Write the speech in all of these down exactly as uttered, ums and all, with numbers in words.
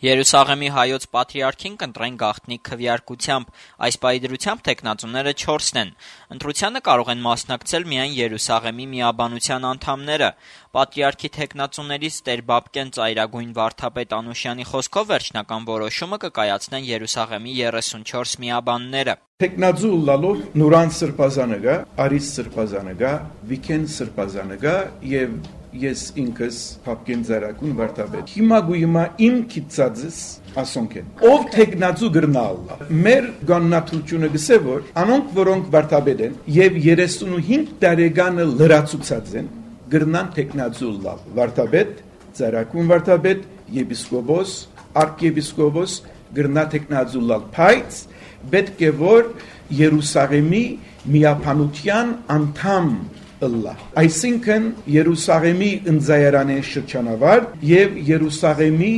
Երուսաղեմի հայոց պատրիարքին կընտրեն գաղտնի քվեարկությամբ, այս պահի դրությամբ թեկնածուները չորսն են, ընտրությանը կարող են մասնակցել միայն Երուսաղեմի միաբանության անդամները, պատրիարքի թեկնածուներից Տեր Բաբկեն ծայրագույն վարդապետ Անուշյանի խոսքով վերջնական որոշումը կկայացնեն Երուսաղեմի երեսունչորս միաբանները։ Թեկնածու լալով Նուրան Սրբազանը գա, Արիս Սրբազանը գա, Վիքեն Սրբազանը գա եւ ես ինքս Բաբկեն ծայրագույն վարդապետ։ Հիմա գույմա իմ քիծածս ասոնք են։ Ով թեկնածու գրնալ։ Մեր գաննաթությունը գսե որ անոնք որոնք վարդապետ են եւ երեսունհինգ տարեկանը լրացուցած են գրնան թեկնածու լավ վարդապետ, ծայրագույն վարդապետ, եպիսկոպոս, արքեպիսկոպոս գրնա թեկնածու լավ, բայց պետք է որ Երուսաղեմի միաբանության անդամ ըլլա։ Այսինքն Երուսաղեմի ընձայարանի շրջանավար եւ Երուսաղեմի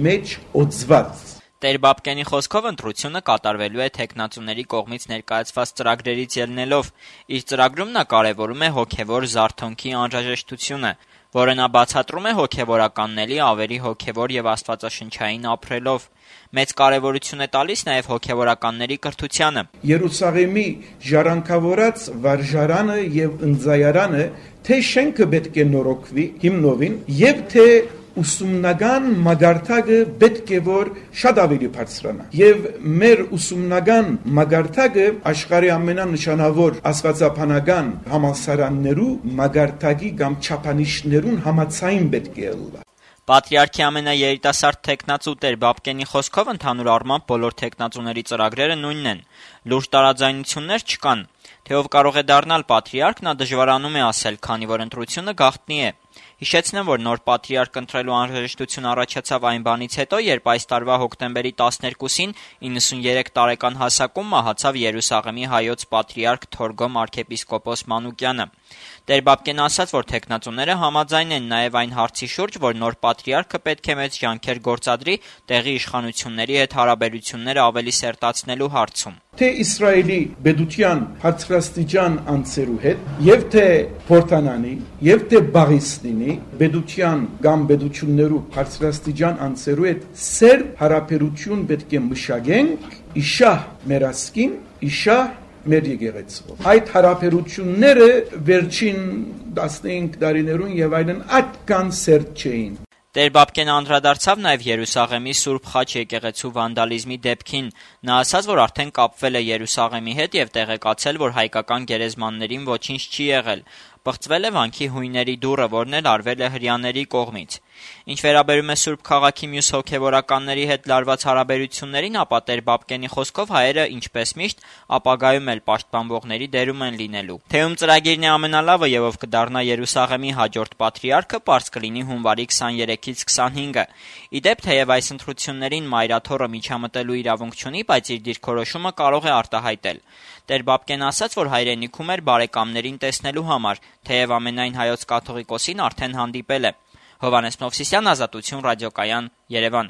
մեջ օծված։ Տեր Բաբկենի խոսքով ընտրությունը կատարվելու է թեկնածուների կողմից ներկայացված ծրագրերից ելնելով։ Իր ծրագրում նա կարևորում է հոգևոր զարթոնքի անհրաժեշտությունը, որը նա բացատրում է հոգևորականների ավելի հոգևոր եւ աստվածաշնչային ապրելով։ Մեծ կարևորություն է տալիս նաև հոգևորականների կրթությանը։ Երուսաղեմի ժառանգավորած վարժարանը եւ ընձայարանը թե շենքը պետք է նորոգվի հիմնովին եւ թե ուսումնական մագարտակը պետք է որ շատ ավելի բարձրանա եւ մեր ուսումնական մագարտակը աշխարհի ամենանշանավոր աստվածաբանական համալսարաններու մագարտակի կամ չափանիշներուն համաձայն պետք է ըլլա։ Պատրիարքի ամենաերիտասարդ թեկնածու Տեր Բաբկենի խոսքով ընդհանուր առմամբ բոլոր թեկնածուների ծրագրերը նույնն են։ Լուրջ տարաձայնություններ չկան։ Թե ով կարող է դառնալ պատրիարք, նա դժվարանում է ասել, քանի որ ընտրությունը գաղտնի է։ Հիշեցնեմ, որ նոր պատրիարք ընտրելու անհրաժեշտություն առաջացավ այն բանից հետո, երբ այս տարվա հոկտեմբերի տասներկուսին իննսունյերեք տարեկան հասակում մահացավ Երուսաղեմի հայոց պատրիարք Թորգոմ arczepiskopos Մանուկյանը։ Տեր Բաբկենը ասաց, որ թեկնածուները համաձայն են նաև այն հարցի շուրջ, որ նոր պատրիարքը պետք է մեծ ջանքեր գործադրի տեղի իշխանությունների հետ հարաբերությունները ավելի սերտացնելու հարցում։ Թե Իսրայելի պետության բարձրաստիճան անձերու հետ, եւ թե Փորտանանի, եւ թե Բաղիստինի պետության կամ պետություններու բարձրաստիճան անձերու հետ սերտ հարաբերություն պետք է մշակենք, իշահ մեր ասկին, իշահ մեր եկեղեցով։ Այդ հարաբերությունները վերջին տասնհինգ տարիներուն եւ այլն այդքան սերտ չէին։ Տեր Բաբկենը անդրադարձավ նաև Երուսաղեմի Սուրբ Խաչ եկեղեցու վանդալիզմի դեպքին։ Նա ասաց, որ արդեն կապվել է Երուսաղեմի հետ եւ տեղեկացել, որ հայկական գերեզմաններին ոչինչ չի եղել։ Պղծվել է վանքի հույների դուռը, որն էլ արվել է հրեաների կողմից։ Ինչ վերաբերում է Սուրբ Խաղաղի մյուս հոգևորականների հետ լարված հարաբերություններին, ապա Տեր Բաբկենի խոսքով հայերը, ինչպես միշտ, ապագայում էլ պաշտպանվողների դերում են լինելու։ Թե ում ծրագիրն է ամենալավը եւ ով կդառնա Երուսաղեմի հաջորդ պատրիարքը, պարզ կլինի հունվարի քսաներեքից քսանհինգը։ Ի դեպ, թեև այս ընտրություններին մայրաթոռը միջամտելու իրավունք չունի, բայց իր դիրքորոշումը կարող է արտահայտել։ Տեր Բաբկենը ասաց, որ հայրենիքում էր բարեկամներին տեսնելու համար, թեև ամենայն հայոց կաթողիկոսին արդեն հանդիպել է։ Հովհաննես Մովսիսյան, Ազատություն ռադիոկայան, Երևան։